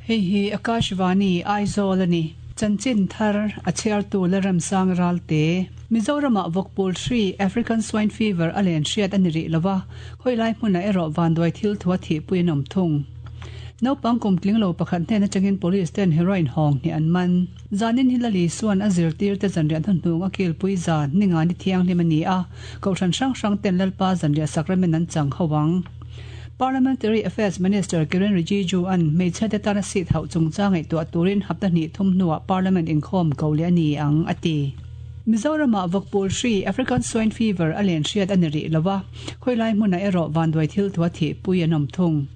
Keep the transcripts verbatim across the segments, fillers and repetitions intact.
Hei hi Akashvani Aizawl a ni. Chanchin thar a chhiartu Lalremsang Ralte. Mizoramah vawkpul hri, African Swine Fever, a len hriat a ni rih lova, khawilai hmunah erawh vanduai thil thu a thihpui an awm thung. Naupang kum tling lo pakhat hnen atangin police ten heroin hawng hnih an man. Zanin hi Lali Suan a zirtirte zanriah hnuhnung a kilpui zan, Ningani thianghlim a ni a, Kohhran hrang hrang ten Lalpa zanriah sakramen an chang ho ang. Parliamentary Affairs Minister Kiren Rijiju-a'n hmeichhiate tana seat hauh chungchang ngaihtuah turin hapta hnih thum hnuah Parliament inkhawm ko leh a ni ang, a ti. Mizoramah vawkpul hri, African Swine Fever, a len hriat a ni rih lo a, khawilai hmunah erawh vanduai thil thua thihpui an awm thung.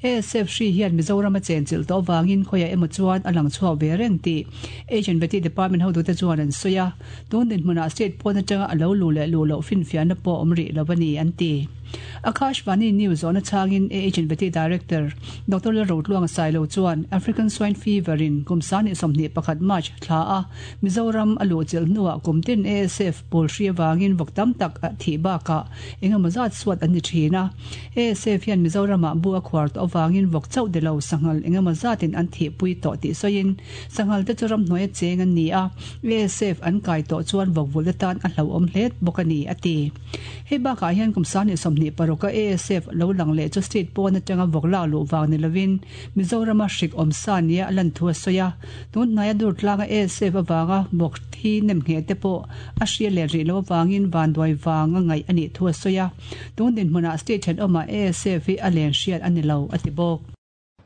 A S F hri hian Mizoram a chenchilh tawh avangin khawiah emaw chuan a lang chhuak ve reng tih H and V Department hotute chuan an sawi a, tun dinhmunah state pawn atanga a lo luh leh luh loh finfiahna pawh awm rih lo a ni, an ti. Akashvani News zawhna chhangin A H and V Director Doctor Lalrotluanga Sailo chuan African Swine Fever in kum sangni sawmhnih pakhat March thla a Mizoram a luhchilh hnuah kum tin A S F pawl hri avangin vawk tam tak a thih bakah engemaw zat suat an ni thin a. A S F hian Mizoramah bu a khuar tawh avangin vawk chauh de lo sanghal engemaw zatin an thihpui tawh tih sawiin sanghal te chu ramhnuai a cheng an ni a, A S F an kai tawh chuan vawk vulh atan a hlauhawm hle bawk a ni, a ti. Hei bakah hian kum sangni sawmhnih paruka A S F lo lang leh chu state pawn atanga vawk lak luh vang ni lovin Mizorama hrik awm sa nia a lan thu a sawi a, tun hnaia dur tlanga A S F avanga vawk thi nem ngheh te pawh a hria let rih lo avangin vanduai vang a ngaih a nih thu a sawi a, tun dinhmunah state thenawmah A S F hi a len hriat a ni lo, a ti bawk.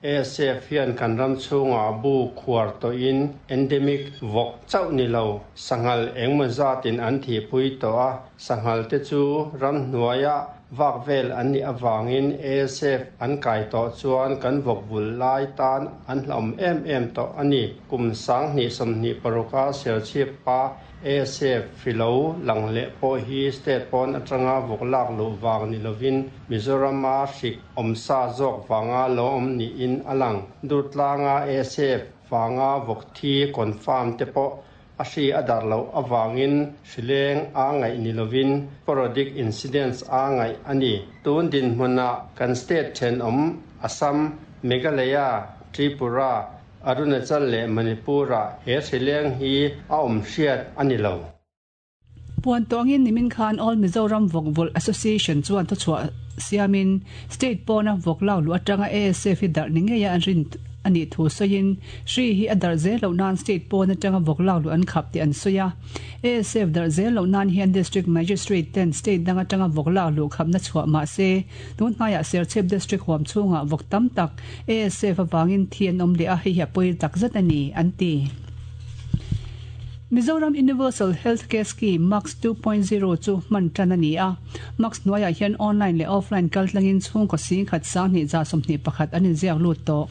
A S F hian kan ram chhungah bu khuar tawhin endemic vawk chauh ni lo sanghal engemaw zatin an thihpui tawh a, sanghal te chu ramhnuaia vak vel an nih avangin A S F an kai tawh chuan kan vawk vul lai tan an hlauhawm em em tawh a ni. Kum sanghnih sawmhnih paruka Serchhip pa A S F hri lo lang leh pawh hi state pawn atanga vawk lak luh vang ni lovin Mizorama hrik awm sa zawk vanga lo awm niin a lang. Durtlanga A S F vanga vawk thi confirm te pawh a hri a darh loh avangin hrileng a ngaih ni lovin sporadic incidents a ngaih a ni. Tun dinhmunah kan state thenawm Assam, Meghalaya, Tripura, Arunachal leh Manipur-ah he hrileng hi a awm hriat a ni lo. Puan tawngin nimin khan All Mizoram Vawk Vulh Association chuan thuchhuah siamin state pawna vawk lak luh atanga A S F hi darh ni ngeia an rin a nih thu sawiin hri hi a darh zel loh nan state pawn atanga vawk lak luh an khap tih an sawi a. A S F darh zel loh nan hian District Magistrate ten state dang atanga vawk lak luh khapna chhuah mah se tun hnaiah Serchhip District huam chhungah vawk tam tak A S F avangin thi an awm leh a, hei hi a pawi takzet a ni, an ti. Mizoram Universal Healthcare Scheme MUCS two point zero chu hman tan a ni a, MUCS hnuaiah hian online leh offline kaltlangin chhungkaw singkhat sanghnih za sawmhnih pakhat an inziak lut tawh.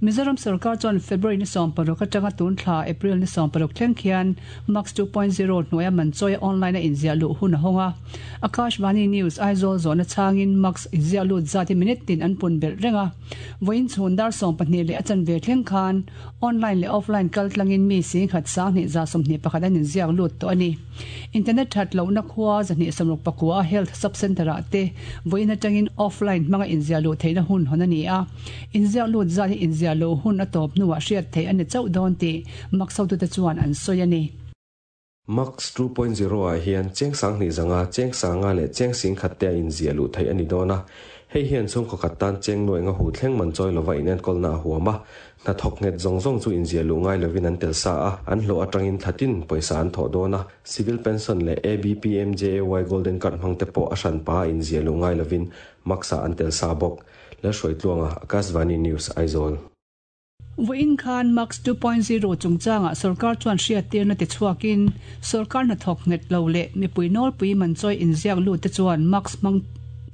Mizoram sarkar chuan February ni sawm paruk atanga tun thla April ni sawm paruk thleng khian MUCS two point zero hnuaia man chawi online a inziah luh hun a hawng a. Akashvani News Aizawl zawhna chhangin MUCS inziah lut zat hi minute tin an pun belh reng a, vawiin chhun dar sawm pahnih leh a chanve thleng khan online leh offline kaltlangin mi singkhat sanghnih za sawmhnih pakhat an inziak lut tawh a ni. Internet that lohna khua zahnih sawmruk pakua health sub center ah te vawiin atangin offline hmanga inziah luh theihna hun hawn a ni a, inziak lut zat hi inziah luh hun a tawp hnuah hriat theih a ni chauh dawn tih MUCS hotute chuan an sawi a ni. MUCS two point zero ah hian cheng sanghnih zanga cheng sanga leh cheng singkhat te a inziah luh theih a ni dawn a, hei hian chhungkaw khat tan cheng nuai nga hu thleng man chawi lova inenkawlna a huam a, hnathawk nghet zawng zawng chu inziah luh ngai lovin an tel sa a, an hlawh atangin thlatin pawisa an thawh dawn a, civil pension leh A B P M J A Y Golden Card hmang te pawh a hranpa a inziah luh ngai lovin MUCS ah an tel sa bawk. Lalhruaitluanga, Akashvani News, Aizawl. Vawiin khan MUCS two point zero chungchangah sorkar chuan hriattirna ti chhuakin sorkar hnathawk nghet lo leh mipui nawlpui man chawi inziak lut te chuan MUCS hmang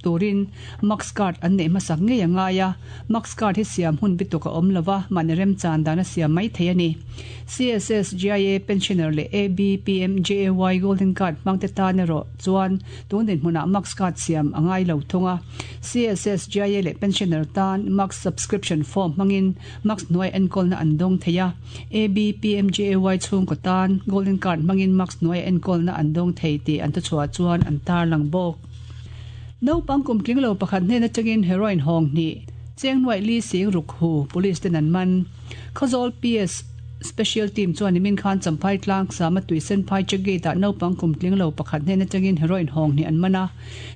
turin MUCS card an neih hmasak ngei a ngai a, MUCS card hi siam hun bituk a awm lova, mahni remchan dan a siam mai thei a ni. C S S G I A pensioner leh A B P M J A Y Golden Card hmang te tan erawh chuan tun dinhmunah MUCS card siam a ngai lo thung a. C S S G I A leh pensioner tan MUCS subscription form hmangin MUCS hnuai enkawlna an dawng thei a, A B P M J A Y chhungkaw tan Golden Card hmangin MUCS hnuai enkawlna an dawng thei tih an thuchhuah chuan an tarlang bawk. Naupang kum tling lo pakhat hnen atangin heroin hawng hnih Cheng nuai li sing ruk hu police ten an man. Khawzawl P S Special Team chuan nimin khan Champhai tlang sama Tuisen phai check gate ah naupang kum tling lo pakhat hnen atangin heroin hawng hnih an man a.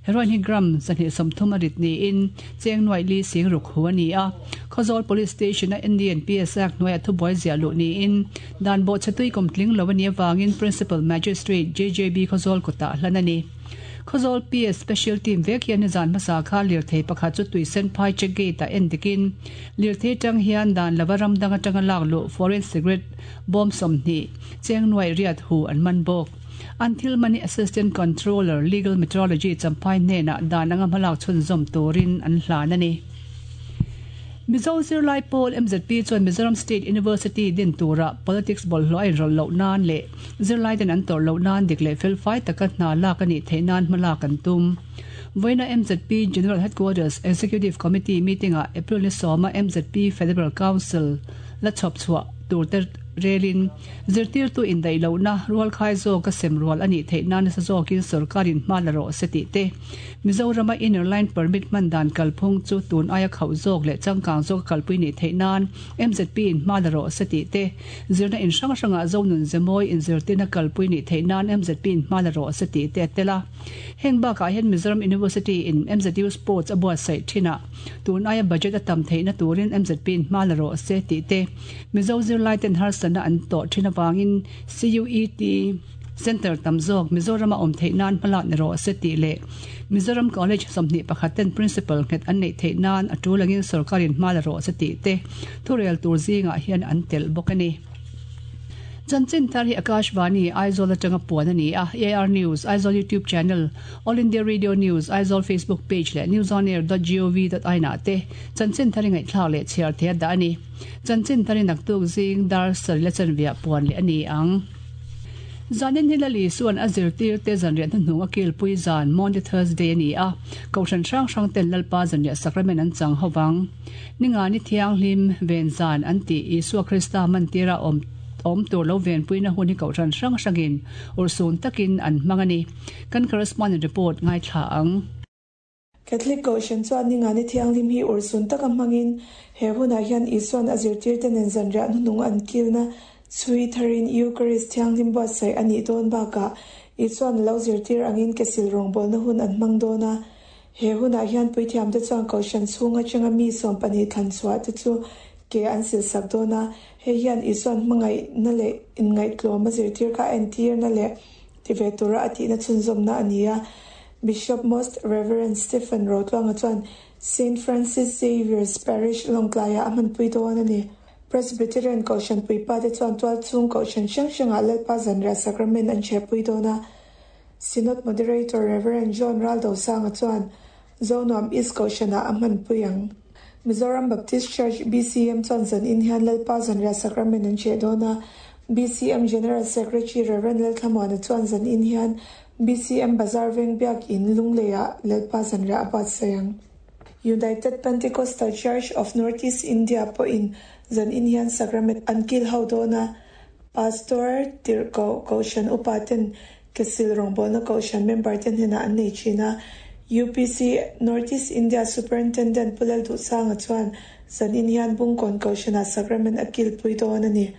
Heroin hi gram zahnih sawmthum a rit niin cheng nuai li sing ruk hu a ni a. Khawzawl Police Station a N D P S Act hnuaiah thubuai ziah luh niin dan bawhchhe tui kum tling lo a nih avangin Principal Magistrate J J B Khawzawl kutah hlan a ni. Khawzawl P S Special Team vek hian nizan hmasa kha lirthei pakhat chu Tuisen phai check gate ah en dikin lirthei tang hian dan lova ram dang atanga lak luh foreign cigarette bawm sawmhnih cheng nuai riat hu an man bawk. An thil mani Assistant Controller Legal Metrology Champhai hnenah dan anga hmalak chhunzawm turin an hlan a ni. Mizo Zirlai Pawl M Z P chuan Mizoram State University din tura politics bawlhhlawh a inrawlh loh nan leh zirlai ten an tawrh loh nan dik leh felfai taka hna lak a nih theih nan hmalak an tum. Vawiina M Z P General Headquarters Executive Committee meeting-ah April ni sawma M Z P Federal Council la chhawp chhuah tur te relin zirtirtu indaih lohna rualkhai zawka sem rual a nih theih nan nasa zawkin sorkarin hma la rawh se tih te, Mizorama inner line permit hman dan kalphung chu tun aia khauh zawk leh changkang zawk kalpui nih theih nan M Z P in hma la rawh se tih te, zirna in hrang hrangah zonun zemawi inzirtirna kalpui nih theih nan M Z P in hma la rawh se tih te a tel a. Heng bakah hian Mizoram University in M Z U Sports a buatsaih thinah tun aia budget a tam theihna turin M Z P in hma la rawh se tih te, Mizo zirlai ten harsatna an tawh thin awangin C U E T Center tam zawk Mizorama awm theih nan hmalak ni rawh se tih leh Mizoram College sawmhnih pakhat ten principal nghet an neih theih nan a tul angin sorkarin hma la rawh se tih te thurel tur zingah hian an tel bawk a ni. Chanchin thar hi Akashvani Aizawl atanga puan a ni a. A I R News Aizawl YouTube channel, All India Radio News Aizawl Facebook page leh newsonair dot gov dot in ah te chanchin thar ngaihthlak leh chhiar thei a dah a ni. Chanchin thar naktuk zing dar sarih la chanveah puan leh a ni ang. Zanin hi Lal Isuan a zirtir te zanriah hnuhnung a kilpui zan, Maundy Thursday a ni a. Kohhran hrang hrang ten Lalpa zanriah sacrament an chang hovang. Ninga ni thianghlim ven zan an ti Isua Krista mantira awm awm tur lo venpuina hun hi kohhran hrang hrangin ursun takin an hmang a ni. Kan correspondent report ngaithla ang. Catholic Kohhran chuan ninga ni thianghlim hi ursun taka hmangin he hunah hian Isuan a zirtir te nen zanriah hnuhnung an kilna chhui tharin Eucharist thianghlim buatsaih a nih dawn bakah Isuan lo zirtir angin kesil rawngbawlna hun an hmang dawn a. He hunah hian puithiam te chuan kohhran chhung atanga mi sawm pahnih thlan chhuah te chu ke an sil sak dawn a. Hei hian Isuan hmangaihna leh inngaihtlawm a zirtir kha entirna leh tive tura a tihna chhunzawmna a ni a. Bishop Most Reverend Stephen Rotluanga chuan Saint Francis Xavier's Parish Lawngtlaiah a hmanpui dawn a ni. Presbyterian Kohhran puipa te chuan tual chhung kohhran hrang hrangah Lalpa zanriah sacrament an chhehpui dawn a. Synod Moderator Reverend John Raldo Sanga chuan Zonuam East Kohhranah a hmanpui ang. Mizoram Baptist Church B C M chuan zan in hian Lalpa zanriah sacrament an chheh dawn a. B C M General Secretary Reverend Lalthlamuana chuan zan in hian B C M Bazar Veng Biak In Lungleiah Lalpa zanriah a buatsaih ang. United Pentecostal Church of Northeast India pawhin zan in hian sacrament an kil ho dawn a. Pastor Tirhkoh Kohhran upa ten kesil rawngbawlna kohhran member ten hnenah an nei thin a. U P C Northeast India Superintendent Pu Lalduhsanga chuan zan in hian Bungkawn Kohhranah sacrament a kilpui dawn a ni.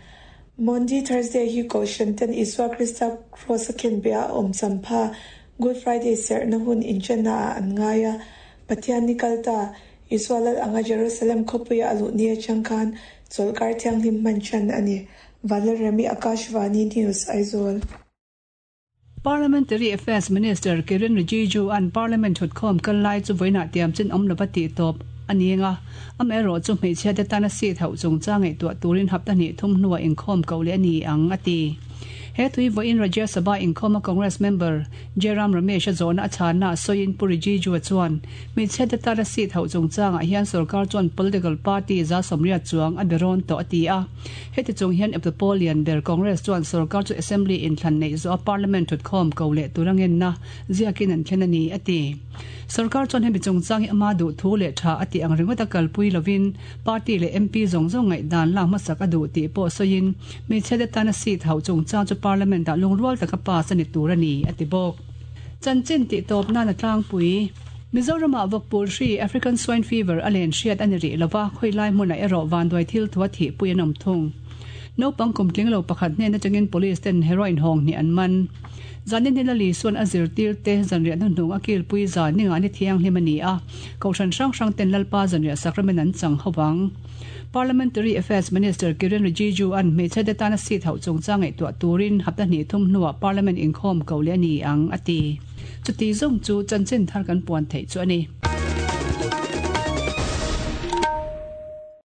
Maundy Thursday hi kohhran ten Isua Krista cross a khenbeh a awm champha Good Friday serhna hun inṭanna ah an ngai a. Pathian ni kalta Isua lal anga Jerusalem khawpuia a luh ni atang khan chawlhkar thianghlim hman ṭan a ni. Vanlalremi, Akashvani News, Aizawl. Parliamentary Affairs Minister Kiren Rijiju an Parliament thutkhawm kal lai chu vawiinah tiam chin awm lova tih tawp a ni anga amaherawh chu hmeichhia te tana seat hauh chungchang ngaihtuah turin hapta hnih thum hnuah inkhawm ko leh a ni ang a ti. He tui vawiin Rajya Sabha inkhawma Congress member Jairam Ramesh a zawhna a chhanna sawiin Pu Rijiju chuan hmeichhia te tana seat hauh chungchangah hian sarkar chuan political party za sawmriat chuang a berawn tawh a ti a. Heti chung hian eptupawh lian ber Congress chuan sarkar chu assembly inthlan nei zo a parliament thutkhawm ko leh turangenna ziakin an thlen a ni a ti. Sarkar chuan hemi chungchang hi ama duh thu leh tha ati ang ringawt a kalpui lovin party leh M P zawng zawng ngaih dan lak hmasak a duh tih pawh sawiin hmeichhia te tana seat hauh chungchang chu parliament ah lungrual taka pass a ni tur a ni a ti bawk. Chanchin tih tawp nan a tlangpui. Mizorama vawkpul hri African Swine Fever a len hriat a ni rih lova, khawilai hmunah erawh vanduai thil thu a thihpui an awm thung. Naupang kum tling lo pakhat hnen atangin police ten heroin hawng hnih an man. Zanin hi Lali chuan a zirtirte zanriah hnuhnung a kilpui zan ninga ni thianghlim a ni a, Kohhran hrang hrang ten Lalpa zanriah sacrament an chang ho vang. Parliamentary Affairs Minister Kiren Rijiju an hmeichhe te tana seat hauh chungchang ngaihtuah turin hapta hnih thum hnuah Parliament inkhawm ko leh a ni ang a ti. Chuti zawng chu chanchin thar kan puan theih chu a ni.